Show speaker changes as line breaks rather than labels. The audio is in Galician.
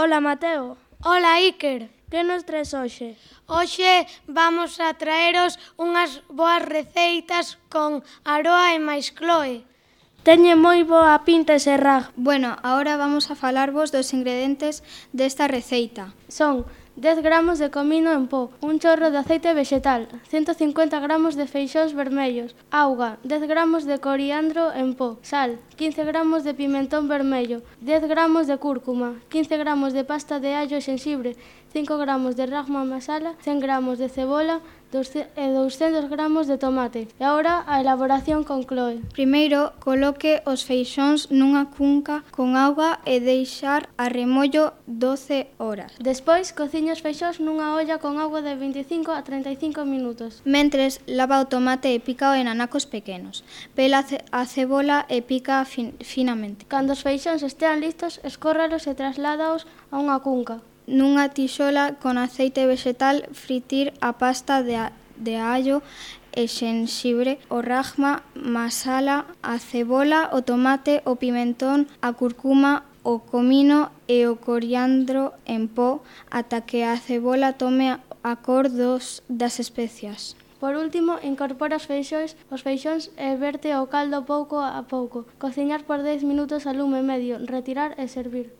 Ola, Mateo.
Ola, Iker.
Que nos traes hoxe?
Hoxe vamos a traeros unhas boas receitas con Aroa e máis Chloe.
Teñe moi boa pinta ese rag.
Bueno, agora vamos a falarvos dos ingredientes desta receita.
Son 10 gramos de comino en pó, un chorro de aceite vegetal, 150 gramos de feixóns vermellos, auga, 10 gramos de coriandro en pó, sal, 15 gramos de pimentón vermello, 10 gramos de cúrcuma, 15 gramos de pasta de allo e xenxibre, 5 gramos de rajma masala, 100 gramos de cebola e 200 gramos de tomate. E agora a elaboración con Chloe.
Primeiro, coloque os feixóns nunha cunca con auga e deixar a remollo 12 horas.
Despois, cociña os feixóns nunha olla con auga de 25 a 35 minutos.
Mentres, lava o tomate e pícao en anacos pequenos. Pela a cebola e pica finamente.
Cando os feixóns estean listos, escórralos e trasládaos a unha cunca.
Nunha tixola con aceite vegetal, fritir a pasta de allo e xenxibre, o rajma masala, a cebola, o tomate, o pimentón, a curcuma, o comino e o coriandro en pó ata que a cebola tome a cor das especias.
Por último, incorpora os feixóns e verte o caldo pouco a pouco. Cociñar por 10 minutos a lume medio, retirar e servir.